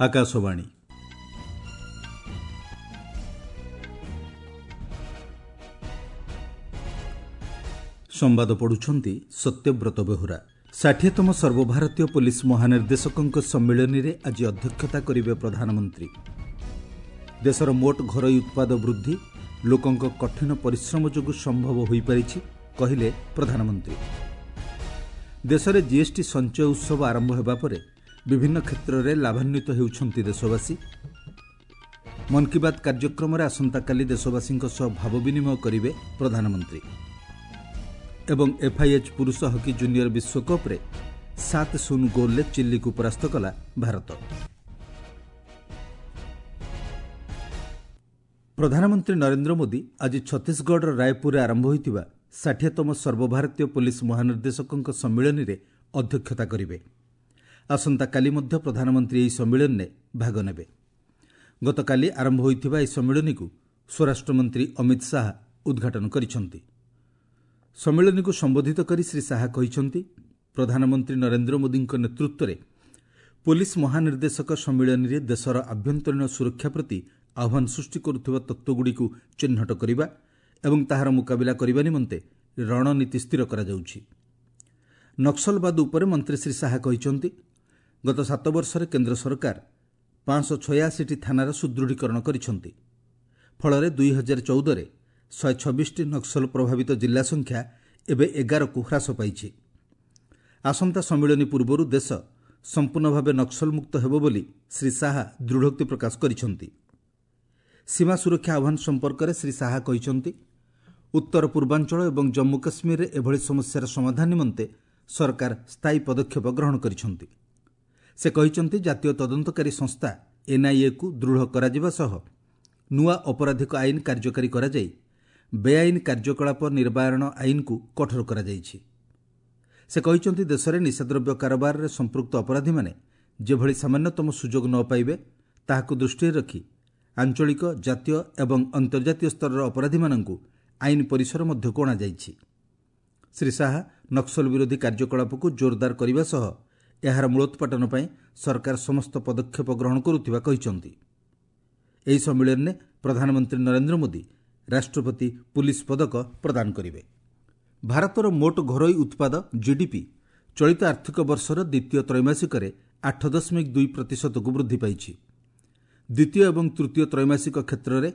ଆକାଶବାଣୀ। ସମ୍ବାଦ ପଢ଼ୁଛନ୍ତି ସତ୍ୟବ୍ରତ ବେହୁରା। 60ତମ ସର୍ବଭାରତୀୟ ପୋଲିସ ମହାନିର୍ଦ୍ଦେଶକଙ୍କ ସମ୍ମିଳନୀରେ ଆଜି ଅଧ୍ୟକ୍ଷତା କରିବେ ପ୍ରଧାନମନ୍ତ୍ରୀ। ଦେଶର ମୋଟ ଘରୋଇ ଉତ୍ପାଦ ବୃଦ୍ଧି ଲୋକଙ୍କ କଠିନ ପରିଶ୍ରମ ଯୋଗୁଁ ସମ୍ଭବ ହୋଇପାରିଛି, କହିଲେ ପ୍ରଧାନମନ୍ତ୍ରୀ। ଦେଶରେ ଜିଏସ୍ଟି ସଞ୍ଚୟ ଉତ୍ସବ ଆରମ୍ଭ ହେବା ପରେ ବିଭିନ୍ନ କ୍ଷେତ୍ରରେ ଲାଭାନ୍ୱିତ ହେଉଛନ୍ତି ଦେଶବାସୀ। ମନ୍ କି ବାତ୍ କାର୍ଯ୍ୟକ୍ରମରେ ଆସନ୍ତାକାଲି ଦେଶବାସୀଙ୍କ ସହ ଭାବ ବିନିମୟ କରିବେ ପ୍ରଧାନମନ୍ତ୍ରୀ। ଏବଂ ଏଫ୍ଆଇଏଚ୍ ପୁରୁଷ ହକି ଜୁନିୟର ବିଶ୍ୱକପ୍ରେ 7-0 ଗୋଲ୍ରେ ଚିଲିକୁ ପରାସ୍ତ କଲା ଭାରତ। ପ୍ରଧାନମନ୍ତ୍ରୀ ନରେନ୍ଦ୍ର ମୋଦି ଆଜି ଛତିଶଗଡ଼ର ରାୟପୁରରେ ଆରମ୍ଭ ହୋଇଥିବା 60ତମ ସର୍ବଭାରତୀୟ ପୋଲିସ ମହାନିର୍ଦ୍ଦେଶକଙ୍କ ସମ୍ମିଳନୀରେ ଅଧ୍ୟକ୍ଷତା କରିବେ। ଆସନ୍ତାକାଲି ମଧ୍ୟ ପ୍ରଧାନମନ୍ତ୍ରୀ ଏହି ସମ୍ମିଳନୀରେ ଭାଗ ନେବେ। ଗତକାଲି ଆରମ୍ଭ ହୋଇଥିବା ଏହି ସମ୍ମିଳନୀକୁ ସ୍ୱରାଷ୍ଟ୍ରମନ୍ତ୍ରୀ ଅମିତ ଶାହା ଉଦ୍ଘାଟନ କରିଛନ୍ତି। ସମ୍ମିଳନୀକୁ ସମ୍ବୋଧିତ କରି ଶ୍ରୀ ଶାହା କହିଛନ୍ତି, ପ୍ରଧାନମନ୍ତ୍ରୀ ନରେନ୍ଦ୍ର ମୋଦିଙ୍କ ନେତୃତ୍ୱରେ ପୋଲିସ ମହାନିର୍ଦ୍ଦେଶକ ସମ୍ମିଳନୀରେ ଦେଶର ଆଭ୍ୟନ୍ତରୀଣ ସୁରକ୍ଷା ପ୍ରତି ଆହ୍ୱାନ ସୃଷ୍ଟି କରୁଥିବା ତତ୍ତ୍ୱଗୁଡ଼ିକୁ ଚିହ୍ନଟ କରିବା ଏବଂ ତାହାର ମୁକାବିଲା କରିବା ନିମନ୍ତେ ରଣନୀତି ସ୍ଥିର କରାଯାଉଛି। ନକ୍ସଲବାଦ ଉପରେ ମନ୍ତ୍ରୀ ଶ୍ରୀ ଶାହା କହିଛନ୍ତି, ଗତ 7 ବର୍ଷରେ କେନ୍ଦ୍ର ସରକାର 586ଟି ଥାନାର ସୁଦୃଢ଼ୀକରଣ କରିଛନ୍ତି। ଫଳରେ 2014ରେ 126ଟି ନକ୍ସଲ ପ୍ରଭାବିତ ଜିଲ୍ଲା ସଂଖ୍ୟା ଏବେ 11କୁ ହ୍ରାସ ପାଇଛି। ଆସନ୍ତା ସମ୍ମିଳନୀ ପୂର୍ବରୁ ଦେଶ ସମ୍ପୂର୍ଣ୍ଣ ଭାବେ ନକ୍ସଲମୁକ୍ତ ହେବ ବୋଲି ଶ୍ରୀ ଶାହା ଦୃଢ଼ୋକ୍ତି ପ୍ରକାଶ କରିଛନ୍ତି। ସୀମା ସୁରକ୍ଷା ଆହ୍ୱାନ ସମ୍ପର୍କରେ ଶ୍ରୀ ଶାହା କହିଛନ୍ତି, ଉତ୍ତର ପୂର୍ବାଞ୍ଚଳ ଏବଂ ଜମ୍ମୁ କାଶ୍ମୀରରେ ଏଭଳି ସମସ୍ୟାର ସମାଧାନ ନିମନ୍ତେ ସରକାର ସ୍ଥାୟୀ ପଦକ୍ଷେପ ଗ୍ରହଣ କରିଛନ୍ତି। ସେ କହିଛନ୍ତି, ଜାତୀୟ ତଦନ୍ତକାରୀ ସଂସ୍ଥା ଏନ୍ଆଇଏକୁ ଦୃଢ଼ କରାଯିବା ସହ ନୂଆ ଅପରାଧିକ ଆଇନ କାର୍ଯ୍ୟକାରୀ କରାଯାଇ ବେଆଇନ କାର୍ଯ୍ୟକଳାପ ନିବାରଣ ଆଇନକୁ କଠୋର କରାଯାଇଛି। ସେ କହିଛନ୍ତି, ଦେଶରେ ନିଶାଦ୍ରବ୍ୟ କାରବାରରେ ସମ୍ପୃକ୍ତ ଅପରାଧୀମାନେ ଯେଭଳି ସାମାନ୍ୟତମ ସୁଯୋଗ ନ ପାଇବେ ତାହାକୁ ଦୃଷ୍ଟିରେ ରଖି ଆଞ୍ଚଳିକ, ଜାତୀୟ ଏବଂ ଅନ୍ତର୍ଜାତୀୟ ସ୍ତରର ଅପରାଧୀମାନଙ୍କୁ ଆଇନ ପରିସର ମଧ୍ୟକୁ ଅଣାଯାଇଛି। ଶ୍ରୀ ଶାହା ନକ୍ସଲ ବିରୋଧୀ କାର୍ଯ୍ୟକଳାପକୁ ଜୋରଦାର କରିବା ସହ ଏହାର ମୂଳୋତ୍ପାଟନ ପାଇଁ ସରକାର ସମସ୍ତ ପଦକ୍ଷେପ ଗ୍ରହଣ କରୁଥିବା କହିଛନ୍ତି। ଏହି ସମ୍ମିଳନୀରେ ପ୍ରଧାନମନ୍ତ୍ରୀ ନରେନ୍ଦ୍ର ମୋଦି ରାଷ୍ଟ୍ରପତି ପୁଲିସ ପଦକ ପ୍ରଦାନ କରିବେ। ଭାରତର ମୋଟ ଘରୋଇ ଉତ୍ପାଦ ଜିଡିପି ଚଳିତ ଆର୍ଥିକ ବର୍ଷର ଦ୍ୱିତୀୟ ତ୍ରୈମାସିକରେ 8.2 ପ୍ରତିଶତକୁ ବୃଦ୍ଧି ପାଇଛି। ଦ୍ୱିତୀୟ ଏବଂ ତୃତୀୟ ତ୍ରୈମାସିକ କ୍ଷେତ୍ରରେ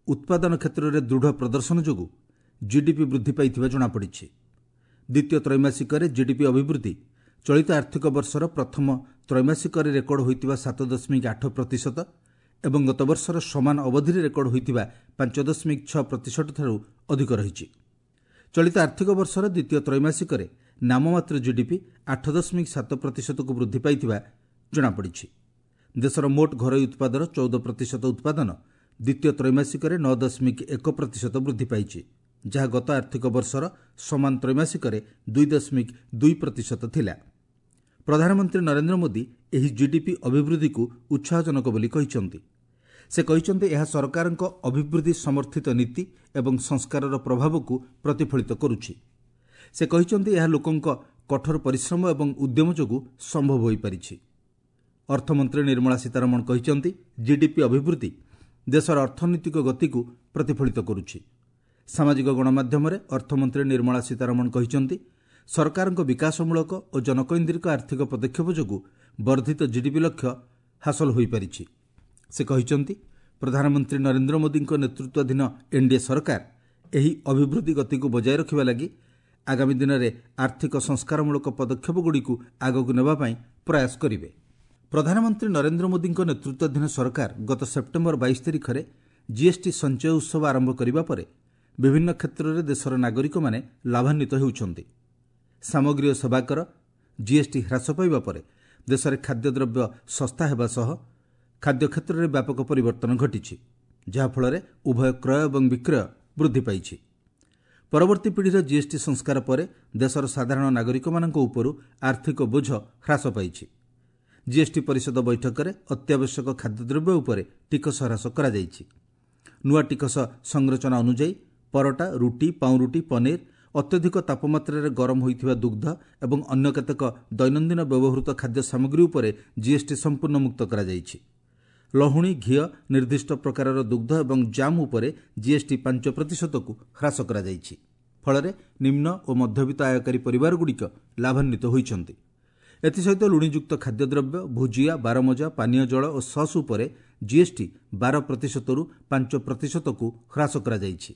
ଉତ୍ପାଦନ କ୍ଷେତ୍ରରେ ଦୃଢ଼ ପ୍ରଦର୍ଶନ ଯୋଗୁଁ ଜିଡିପି ବୃଦ୍ଧି ପାଇଥିବା ଜଣାପଡ଼ିଛି। ଦ୍ୱିତୀୟ ତ୍ରୈମାସିକରେ ଜିଡିପି ଅଭିବୃଦ୍ଧି ଚଳିତ ଆର୍ଥିକ ବର୍ଷର ପ୍ରଥମ ତ୍ରୈମାସିକରେ ରେକର୍ଡ ହୋଇଥିବା 7.8 ପ୍ରତିଶତ ଏବଂ ଗତବର୍ଷର ସମାନ ଅବଧିରେ ରେକର୍ଡ ହୋଇଥିବା 5.6 ପ୍ରତିଶତଠାରୁ ଅଧିକ ରହିଛି। ଚଳିତ ଆର୍ଥିକ ବର୍ଷର ଦ୍ୱିତୀୟ ତ୍ରୈମାସିକରେ ନାମମାତ୍ର ଜିଡିପି 8.7 ପ୍ରତିଶତକୁ ବୃଦ୍ଧି ପାଇଥିବା ଜଣାପଡ଼ିଛି। ଦେଶର ମୋଟ ଘରୋଇ ଉତ୍ପାଦର 14% ଉତ୍ପାଦନ ଦ୍ୱିତୀୟ ତ୍ରୈମାସିକରେ 9.1 ପ୍ରତିଶତ ବୃଦ୍ଧି ପାଇଛି, ଯାହା ଗତ ଆର୍ଥିକ ବର୍ଷର ସମାନ ତ୍ରୈମାସିକରେ 2.2 ପ୍ରତିଶତ ଥିଲା। ପ୍ରଧାନମନ୍ତ୍ରୀ ନରେନ୍ଦ୍ର ମୋଦି ଏହି ଜିଡିପି ଅଭିବୃଦ୍ଧିକୁ ଉତ୍ସାହଜନକ ବୋଲି କହିଛନ୍ତି। ସେ କହିଛନ୍ତି, ଏହା ସରକାରଙ୍କ ଅଭିବୃଦ୍ଧି ସମର୍ଥିତ ନୀତି ଏବଂ ସଂସ୍କାରର ପ୍ରଭାବକୁ ପ୍ରତିଫଳିତ କରୁଛି। ସେ କହିଛନ୍ତି, ଏହା ଲୋକଙ୍କ କଠୋର ପରିଶ୍ରମ ଏବଂ ଉଦ୍ୟମ ଯୋଗୁଁ ସମ୍ଭବ ହୋଇପାରିଛି। ଅର୍ଥମନ୍ତ୍ରୀ ନିର୍ମଳା ସୀତାରମଣ କହିଛନ୍ତି, ଜିଡିପି ଅଭିବୃଦ୍ଧି ଦେଶର ଅର୍ଥନୈତିକ ଗତିକୁ ପ୍ରତିଫଳିତ କରୁଛି। ସାମାଜିକ ଗଣମାଧ୍ୟମରେ ଅର୍ଥମନ୍ତ୍ରୀ ନିର୍ମଳା ସୀତାରମଣ କହିଛନ୍ତି, ସରକାରଙ୍କ ବିକାଶମୂଳକ ଓ ଜନକୈନ୍ଦ୍ରିକ ଆର୍ଥିକ ପଦକ୍ଷେପ ଯୋଗୁଁ ବର୍ଦ୍ଧିତ ଜିଡିପି ଲକ୍ଷ୍ୟ ହାସଲ ହୋଇପାରିଛି। ସେ କହିଛନ୍ତି, ପ୍ରଧାନମନ୍ତ୍ରୀ ନରେନ୍ଦ୍ର ମୋଦିଙ୍କ ନେତୃତ୍ୱାଧୀନ ଏନ୍ଡିଏ ସରକାର ଏହି ଅଭିବୃଦ୍ଧି ଗତିକୁ ବଜାୟ ରଖିବା ଲାଗି ଆଗାମୀ ଦିନରେ ଆର୍ଥିକ ସଂସ୍କାରମୂଳକ ପଦକ୍ଷେପଗୁଡ଼ିକୁ ଆଗକୁ ନେବା ପାଇଁ ପ୍ରୟାସ କରିବେ। ପ୍ରଧାନମନ୍ତ୍ରୀ ନରେନ୍ଦ୍ର ମୋଦିଙ୍କ ନେତୃତ୍ୱାଧୀନ ସରକାର ଗତ ସେପ୍ଟେମ୍ବର 22 ତାରିଖରେ ଜିଏସ୍ଟି ସଞ୍ଚୟ ଉତ୍ସବ ଆରମ୍ଭ କରିବା ପରେ ବିଭିନ୍ନ କ୍ଷେତ୍ରରେ ଦେଶର ନାଗରିକମାନେ ଲାଭାନ୍ୱିତ ହେଉଛନ୍ତି। ସାମଗ୍ରୀ ଓ ସେବା କର ଜିଏସ୍ଟି ହ୍ରାସ ପାଇବା ପରେ ଦେଶରେ ଖାଦ୍ୟଦ୍ରବ୍ୟ ଶସ୍ତା ହେବା ସହ ଖାଦ୍ୟ କ୍ଷେତ୍ରରେ ବ୍ୟାପକ ପରିବର୍ତ୍ତନ ଘଟିଛି, ଯାହାଫଳରେ ଉଭୟ କ୍ରୟ ଏବଂ ବିକ୍ରୟ ବୃଦ୍ଧି ପାଇଛି। ପରବର୍ତ୍ତୀ ପିଢ଼ିର ଜିଏସ୍ଟି ସଂସ୍କାର ପରେ ଦେଶର ସାଧାରଣ ନାଗରିକମାନଙ୍କ ଉପରୁ ଆର୍ଥିକ ବୋଝ ହ୍ରାସ ପାଇଛି। ଜିଏସ୍ଟି ପରିଷଦ ବୈଠକରେ ଅତ୍ୟାବଶ୍ୟକ ଖାଦ୍ୟଦ୍ରବ୍ୟ ଉପରେ ଟିକସ ହ୍ରାସ କରାଯାଇଛି। ନୂଆ ଟିକସ ସଂରଚନା ଅନୁଯାୟୀ ପରଟା, ରୁଟି, ପାଉଁରୁଟି, ପନିର ଅତ୍ୟଧିକ ତାପମାତ୍ରାରେ ଗରମ ହୋଇଥିବା ଦୁଗ୍ଧ ଏବଂ ଅନ୍ୟ କେତେକ ଦୈନନ୍ଦିନ ବ୍ୟବହୃତ ଖାଦ୍ୟ ସାମଗ୍ରୀ ଉପରେ ଜିଏସ୍ଟି ସମ୍ପୂର୍ଣ୍ଣ ମୁକ୍ତ କରାଯାଇଛି। ଲହୁଣୀ, ଘିଅ, ନିର୍ଦ୍ଦିଷ୍ଟ ପ୍ରକାରର ଦୁଗ୍ଧ ଏବଂ ଜାମ୍ ଉପରେ ଜିଏସ୍ଟି 5%କୁ ହ୍ରାସ କରାଯାଇଛି। ଫଳରେ ନିମ୍ନ ଓ ମଧ୍ୟବିତ୍ତ ଆୟକାରୀ ପରିବାରଗୁଡ଼ିକ ଲାଭାନ୍ୱିତ ହୋଇଛନ୍ତି। ଏଥିସହିତ ଲୁଣିଯୁକ୍ତ ଖାଦ୍ୟଦ୍ରବ୍ୟ, ଭୁଜିଆ, ବାରମଜା, ପାନୀୟ ଜଳ ଓ ସସ୍ ଉପରେ ଜିଏସ୍ଟି 12%ରୁ 5%କୁ ହ୍ରାସ କରାଯାଇଛି।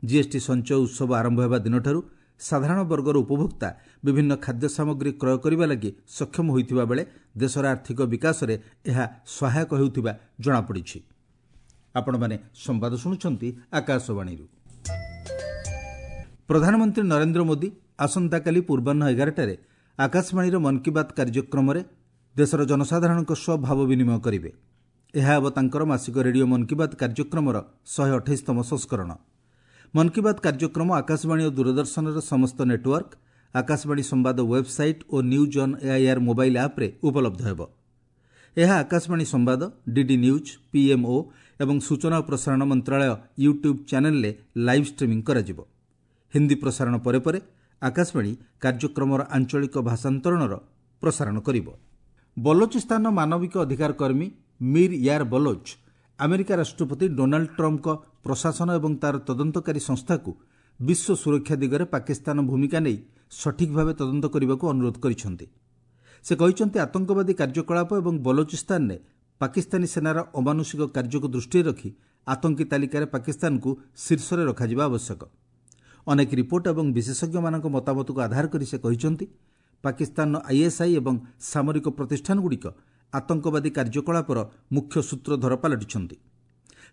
ଜିଏସ୍ଟି ସଞ୍ଚୟ ଉତ୍ସବ ଆରମ୍ଭ ହେବା ଦିନଠାରୁ ସାଧାରଣ ବର୍ଗର ଉପଭୋକ୍ତା ବିଭିନ୍ନ ଖାଦ୍ୟ ସାମଗ୍ରୀ କ୍ରୟ କରିବା ଲାଗି ସକ୍ଷମ ହୋଇଥିବା ବେଳେ ଦେଶର ଆର୍ଥିକ ବିକାଶରେ ଏହା ସହାୟକ ହେଉଥିବା ଜଣାପଡ଼ିଛି। ଆପଣମାନେ ସମ୍ବାଦ ଶୁଣୁଛନ୍ତି ଆକାଶବାଣୀରୁ। ପ୍ରଧାନମନ୍ତ୍ରୀ ନରେନ୍ଦ୍ର ମୋଦି ଆସନ୍ତାକାଲି ପୂର୍ବାହ୍ନ 11ଟାରେ ଆକାଶବାଣୀର ମନ୍ କି ବାତ୍ କାର୍ଯ୍ୟକ୍ରମରେ ଦେଶର ଜନସାଧାରଣଙ୍କ ସହ ଭାବ ବିନିମୟ କରିବେ। ଏହା ହେବ ତାଙ୍କର ମାସିକ ରେଡିଓ ମନ୍ କି ବାତ୍ କାର୍ଯ୍ୟକ୍ରମର 128ତମ ସଂସ୍କରଣ। ମନ୍ କି ବାତ୍ କାର୍ଯ୍ୟକ୍ରମ ଆକାଶବାଣୀ ଓ ଦୂରଦର୍ଶନର ସମସ୍ତ ନେଟୱାର୍କ, ଆକାଶବାଣୀ ସମ୍ବାଦ website O news on AIR mobile ଆପ୍ରେ ଉପଲବ୍ଧ ହେବ। ଏହା ଆକାଶବାଣୀ ସମ୍ବାଦ, ଡିଡି ନ୍ୟୁଜ୍, ପିଏମ୍ଓ ଏବଂ ସୂଚନା ଓ ପ୍ରସାରଣ ମନ୍ତ୍ରାଳୟ ୟୁଟ୍ୟୁବ୍ ଚ୍ୟାନେଲ୍ରେ ଲାଇଭ୍ ଷ୍ଟ୍ରିମିଂ କରାଯିବ। ହିନ୍ଦୀ ପ୍ରସାରଣ ପରେ ପରେ ଆକାଶବାଣୀ କାର୍ଯ୍ୟକ୍ରମର ଆଞ୍ଚଳିକ ଭାଷାନ୍ତରଣର ପ୍ରସାରଣ କରିବ। ବଲୋଚିସ୍ତାନର ମାନବିକ ଅଧିକାର କର୍ମୀ ମୀର୍ ୟାର୍ ବଲୋଚ୍ ଆମେରିକା ରାଷ୍ଟ୍ରପତି ଡୋନାଲ୍ଡ ଟ୍ରମ୍ପଙ୍କ ପ୍ରଶାସନ ଏବଂ ତା'ର ତଦନ୍ତକାରୀ ସଂସ୍ଥାକୁ ବିଶ୍ୱ ସୁରକ୍ଷା ଦିଗରେ ପାକିସ୍ତାନ ଭୂମିକା ନେଇ ସଠିକ୍ ଭାବେ ତଦନ୍ତ କରିବାକୁ ଅନୁରୋଧ କରିଛନ୍ତି। ସେ କହିଛନ୍ତି, ଆତଙ୍କବାଦୀ କାର୍ଯ୍ୟକଳାପ ଏବଂ ବଲୋଚିସ୍ତାନରେ ପାକିସ୍ତାନୀ ସେନାର ଅମାନୁଷିକ କାର୍ଯ୍ୟକୁ ଦୃଷ୍ଟିରେ ରଖି ଆତଙ୍କୀ ତାଲିକାରେ ପାକିସ୍ତାନକୁ ଶୀର୍ଷରେ ରଖାଯିବା ଆବଶ୍ୟକ। ଅନେକ ରିପୋର୍ଟ ଏବଂ ବିଶେଷଜ୍ଞମାନଙ୍କ ମତାମତକୁ ଆଧାର କରି ସେ କହିଛନ୍ତି, ପାକିସ୍ତାନର ଆଇଏସ୍ଆଇ ଏବଂ ସାମରିକ ପ୍ରତିଷ୍ଠାନଗୁଡ଼ିକ ଆତଙ୍କବାଦୀ କାର୍ଯ୍ୟକଳାପର ମୁଖ୍ୟ ସୂତ୍ରଧର ପାଲଟିଛନ୍ତି।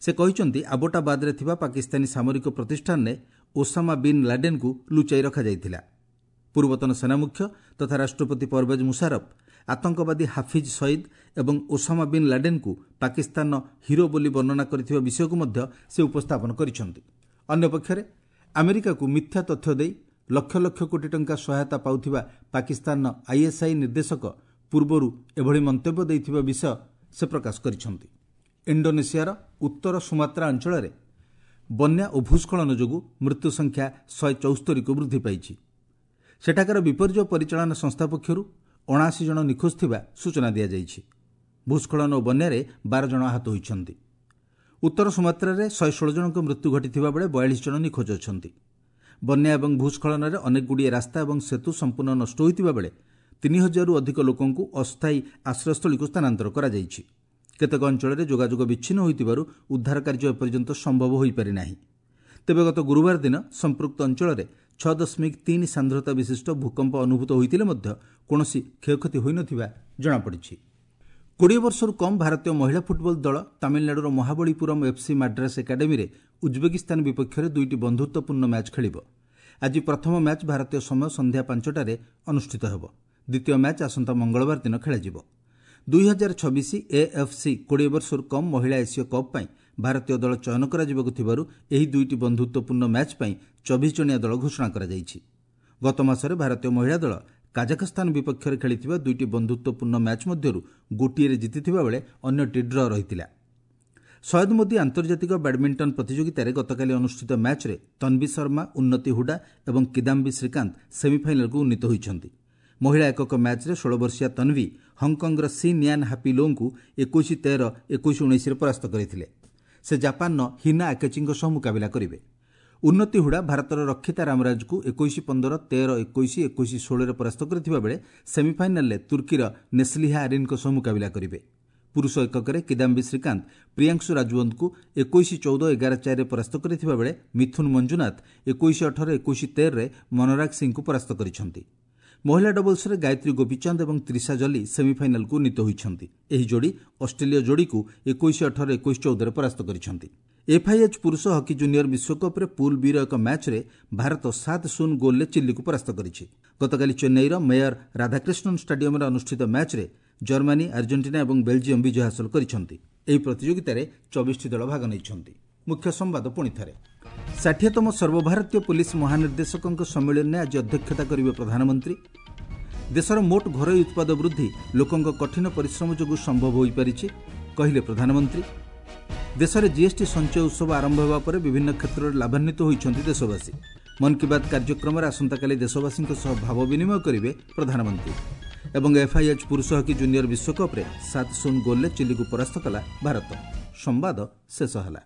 ସେ କହିଛନ୍ତି, ଆବୋଟାବାଦରେ ଥିବା ପାକିସ୍ତାନୀ ସାମରିକ ପ୍ରତିଷ୍ଠାନରେ ଓସାମା ବିନ୍ ଲାଡେନ୍କୁ ଲୁଚାଇ ରଖାଯାଇଥିଲା। ପୂର୍ବତନ ସେନାମୁଖ୍ୟ ତଥା ରାଷ୍ଟ୍ରପତି ପରଭେଜ ମୁଶାରଫ ଆତଙ୍କବାଦୀ ହାଫିଜ୍ ସଇଦ୍ ଏବଂ ଓସାମା ବିନ୍ ଲାଡେନ୍କୁ ପାକିସ୍ତାନର ହିରୋ ବୋଲି ବର୍ଣ୍ଣନା କରିଥିବା ବିଷୟକୁ ମଧ୍ୟ ସେ ଉପସ୍ଥାପନ କରିଛନ୍ତି। ଅନ୍ୟପକ୍ଷରେ ଆମେରିକାକୁ ମିଥ୍ୟା ତଥ୍ୟ ଦେଇ ଲକ୍ଷ ଲକ୍ଷ କୋଟି ଟଙ୍କା ସହାୟତା ପାଉଥିବା ପାକିସ୍ତାନର ଆଇଏସ୍ଆଇ ନିର୍ଦ୍ଦେଶକ ପୂର୍ବରୁ ଏଭଳି ମନ୍ତବ୍ୟ ଦେଇଥିବା ବିଷୟ ସେ ପ୍ରକାଶ କରିଛନ୍ତି। ଇଣ୍ଡୋନେସିଆର ଉତ୍ତର ସୁମାତ୍ରା ଅଞ୍ଚଳରେ ବନ୍ୟା ଓ ଭୂସ୍ଖଳନ ଯୋଗୁଁ ମୃତ୍ୟୁ ସଂଖ୍ୟା 174କୁ ବୃଦ୍ଧି ପାଇଛି। ସେଠାକାର ବିପର୍ଯ୍ୟୟ ପରିଚାଳନା ସଂସ୍ଥା ପକ୍ଷରୁ 79 ଜଣ ନିଖୋଜ ଥିବା ସୂଚନା ଦିଆଯାଇଛି। ଭୂସ୍ଖଳନ ଓ ବନ୍ୟାରେ 12 ଜଣ ଆହତ ହୋଇଛନ୍ତି। ଉତ୍ତର ସୁମାତ୍ରାରେ 116 ଜଣଙ୍କ ମୃତ୍ୟୁ ଘଟିଥିବା ବେଳେ 42 ଜଣ ନିଖୋଜ ଅଛନ୍ତି। ବନ୍ୟା ଏବଂ ଭୂସ୍ଖଳନରେ ଅନେକଗୁଡ଼ିଏ ରାସ୍ତା ଏବଂ ସେତୁ ସମ୍ପୂର୍ଣ୍ଣ ନଷ୍ଟ ହୋଇଥିବା ବେଳେ 3000ରୁ ଅଧିକ ଲୋକଙ୍କୁ ଅସ୍ଥାୟୀ ଆଶ୍ରୟସ୍ଥଳୀକୁ ସ୍ଥାନାନ୍ତର କରାଯାଇଛି। କେତେକ ଅଞ୍ଚଳରେ ଯୋଗାଯୋଗ ବିଚ୍ଛିନ୍ନ ହୋଇଥିବାରୁ ଉଦ୍ଧାର କାର୍ଯ୍ୟ ଏପର୍ଯ୍ୟନ୍ତ ସମ୍ଭବ ହୋଇପାରିନାହିଁ। ତେବେ ଗତ ଗୁରୁବାର ଦିନ ସମ୍ପୃକ୍ତ ଅଞ୍ଚଳରେ 6.3 ସାନ୍ଦ୍ରତା ବିଶିଷ୍ଟ ଭୂକମ୍ପ ଅନୁଭୂତ ହୋଇଥିଲେ ମଧ୍ୟ କୌଣସି କ୍ଷୟକ୍ଷତି ହୋଇନଥିବା ଜଣାପଡ଼ିଛି। 20 ବର୍ଷରୁ କମ୍ ଭାରତୀୟ ମହିଳା ଫୁଟବଲ ଦଳ ତାମିଲନାଡୁର ମହାବଳୀପୁରମ୍ ଏଫ୍ସି ମାଡ୍ରାସ ଏକାଡେମୀରେ ଉଜ୍ବେକିସ୍ତାନ ବିପକ୍ଷରେ 2ଟି ବନ୍ଧୁତ୍ୱପୂର୍ଣ୍ଣ ମ୍ୟାଚ୍ ଖେଳିବ। ଆଜି ପ୍ରଥମ ମ୍ୟାଚ୍ ଭାରତୀୟ ସମୟ ସନ୍ଧ୍ୟା 5ଟାରେ ଅନୁଷ୍ଠିତ ହେବ। ଦ୍ୱିତୀୟ ମ୍ୟାଚ୍ ଆସନ୍ତା ମଙ୍ଗଳବାର ଦିନ ଖେଳାଯିବ। 2026 ଏଏଫ୍ସି 20 ବର୍ଷରୁ କମ୍ ମହିଳା ଏସୀୟ କପ୍ ପାଇଁ ଭାରତୀୟ ଦଳ ଚୟନ କରାଯିବାକୁ ଥିବାରୁ ଏହି 2ଟି ବନ୍ଧୁତ୍ୱପୂର୍ଣ୍ଣ ମ୍ୟାଚ୍ ପାଇଁ 24 ଜଣିଆ ଦଳ ଘୋଷଣା କରାଯାଇଛି। ଗତ ମାସରେ ଭାରତୀୟ ମହିଳା ଦଳ କାଜାଖସ୍ତାନ ବିପକ୍ଷରେ ଖେଳିଥିବା 2ଟି ବନ୍ଧୁତ୍ୱପୂର୍ଣ୍ଣ ମ୍ୟାଚ୍ ମଧ୍ୟରୁ ଗୋଟିଏରେ ଜିତିଥିବା ବେଳେ ଅନ୍ୟଟି ଡ୍ର ରହିଥିଲା। ସୟଦ ମୋଦି ଆନ୍ତର୍ଜାତିକ ବ୍ୟାଡମିଣ୍ଟନ ପ୍ରତିଯୋଗିତାରେ ଗତକାଲି ଅନୁଷ୍ଠିତ ମ୍ୟାଚ୍ରେ ତନ୍ବୀ ଶର୍ମା, ଉନ୍ନତି ହୁଡା ଏବଂ କିଦାମ୍ବି ଶ୍ରୀକାନ୍ତ ସେମିଫାଇନାଲକୁ ଉନ୍ନୀତ ହୋଇଛନ୍ତି। ମହିଳା ଏକକ ମ୍ୟାଚ୍ରେ 16 ବର୍ଷୀୟା ତନ୍ବୀ ହଂକଂର ସି ନିଆନ୍ ହାପି ଲୋଙ୍କୁ 21-13, 21-19ରେ ପରାସ୍ତ କରିଥିଲେ। ସେ ଜାପାନର ହିନା ଆକେଚିଙ୍କ ସହ ମୁକାବିଲା କରିବେ। ଉନ୍ନତି ହୁଡା ଭାରତର ରକ୍ଷିତା ରାମରାଜକୁ 21-15, 13-21, 21-16ରେ ପରାସ୍ତ କରିଥିବା ବେଳେ ସେମିଫାଇନାଲରେ ତୁର୍କୀର ନେସ୍ଲିହା ଆରିନ୍ଙ୍କ ସହ ମୁକାବିଲା କରିବେ। ପୁରୁଷ ଏକକରେ କିଦାମ୍ବି ଶ୍ରୀକାନ୍ତ ପ୍ରିୟାଂଶୁ ରାଜୱନ୍ତଙ୍କୁ 21-14, 11-4ରେ ପରାସ୍ତ କରିଥିବା ବେଳେ ମିଥୁନ ମଞ୍ଜୁନାଥ 21-18, 21-13ରେ ମନରାଗ ସିଂଙ୍କୁ ପରାସ୍ତ କରିଛନ୍ତି। ମହିଳା ଡବଲ୍ସରେ ଗାୟତ୍ରୀ ଗୋପୀଚାନ୍ଦ ଏବଂ ତ୍ରିଷା ଜଲି ସେମିଫାଇନାଲକୁ ଉନ୍ନୀତ ହୋଇଛନ୍ତି। ଏହି ଯୋଡ଼ି ଅଷ୍ଟ୍ରେଲୀୟ ଯୋଡ଼ିକୁ 21-18, 21-14ରେ ପରାସ୍ତ କରିଛନ୍ତି। ଏଫ୍ଆଇଏଚ୍ ପୁରୁଷ ହକି ଜୁନିୟର ବିଶ୍ୱକପ୍ରେ ପୁଲ୍ ବିର ଏକ ମ୍ୟାଚ୍ରେ ଭାରତ 7-0 ଗୋଲ୍ରେ ଚିଲିକୁ ପରାସ୍ତ କରିଛି। ଗତକାଲି ଚେନ୍ନାଇର ମେୟର ରାଧାକ୍ରିଷ୍ଣନ୍ ଷ୍ଟାଡିୟମରେ ଅନୁଷ୍ଠିତ ମ୍ୟାଚ୍ରେ ଜର୍ମାନୀ, ଆର୍ଜେଣ୍ଟିନା ଏବଂ ବେଲ୍ଜିୟମ୍ ବିଜୟ ହାସଲ କରିଛନ୍ତି। ଏହି ପ୍ରତିଯୋଗିତାରେ 24ଟି ଦଳ ଭାଗ ନେଇଛନ୍ତି। ମୁଖ୍ୟ ସମ୍ବାଦ ପୁଣି ଥରେ। 60ତମ ସର୍ବଭାରତୀୟ ପୋଲିସ ମହାନିର୍ଦ୍ଦେଶକଙ୍କ ସମ୍ମିଳନୀରେ ଆଜି ଅଧ୍ୟକ୍ଷତା କରିବେ ପ୍ରଧାନମନ୍ତ୍ରୀ। ଦେଶର ମୋଟ ଘରୋଇ ଉତ୍ପାଦ ବୃଦ୍ଧି ଲୋକଙ୍କ କଠିନ ପରିଶ୍ରମ ଯୋଗୁଁ ସମ୍ଭବ ହୋଇପାରିଛି, କହିଲେ ପ୍ରଧାନମନ୍ତ୍ରୀ। ଦେଶରେ ଜିଏସ୍ଟି ସଞ୍ଚୟ ଉତ୍ସବ ଆରମ୍ଭ ହେବା ପରେ ବିଭିନ୍ନ କ୍ଷେତ୍ରରେ ଲାଭାନ୍ୱିତ ହୋଇଛନ୍ତି ଦେଶବାସୀ। ମନ୍ କି ବାତ୍ କାର୍ଯ୍ୟକ୍ରମରେ ଆସନ୍ତାକାଲି ଦେଶବାସୀଙ୍କ ସହ ଭାବ ବିନିମୟ କରିବେ ପ୍ରଧାନମନ୍ତ୍ରୀ। ଏବଂ ଏଫ୍ଆଇଏଚ୍ ପୁରୁଷ ହକି ଜୁନିୟର ବିଶ୍ୱକପ୍ରେ 7-0 ଗୋଲ୍ରେ ଚିଲିକୁ ପରାସ୍ତ କଲା ଭାରତ। ସମ୍ବାଦ ଶେଷ ହେଲା।